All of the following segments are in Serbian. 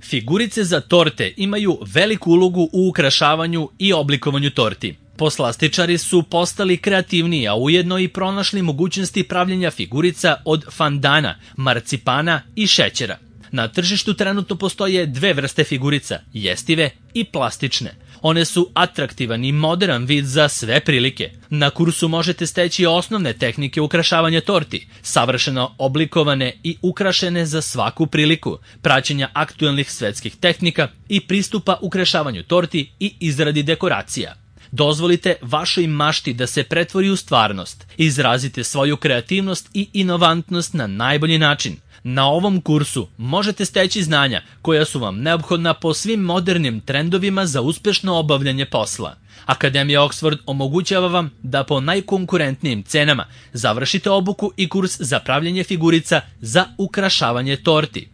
Figurice za torte imaju veliku ulogu u ukrašavanju i oblikovanju torti. Poslastičari su postali kreativniji, a ujedno i pronašli mogućnosti pravljenja figurica od fandana, marcipana i šećera. Na tržištu trenutno postoje dve vrste figurica, jestive i plastične. One su atraktivan i modern vid za sve prilike. Na kursu možete steći osnovne tehnike ukrašavanja torti, savršeno oblikovane i ukrašene za svaku priliku, praćenja aktuelnih svetskih tehnika i pristupa ukrašavanju torti i izradi dekoracija. Dozvolite vašoj mašti da se pretvori u stvarnost. Izrazite svoju kreativnost i inovantnost na najbolji način. Na ovom kursu možete steći znanja koja su vam neophodna po svim modernim trendovima za uspešno obavljanje posla. Akademija Oxford omogućava vam da po najkonkurentnijim cenama završite obuku i kurs za pravljenje figurica za ukrašavanje torti.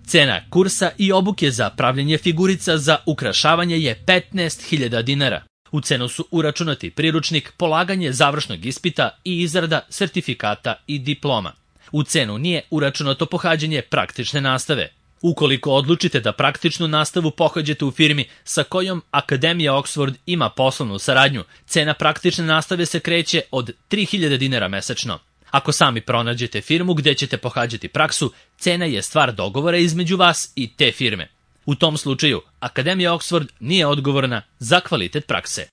Cena kursa i obuke za pravljenje figurica za ukrašavanje je 15.000 dinara. U cenu su uračunati priručnik, polaganje završnog ispita i izrada sertifikata i diploma. U cenu nije uračunato pohađanje praktične nastave. Ukoliko odlučite da praktičnu nastavu pohađate u firmi sa kojom Akademija Oxford ima poslovnu saradnju, cena praktične nastave se kreće od 3.000 dinara mesečno. Ako sami pronađete firmu gde ćete pohađati praksu, cena je stvar dogovora između vas i te firme. U tom slučaju, Akademija Oxford nije odgovorna za kvalitet prakse.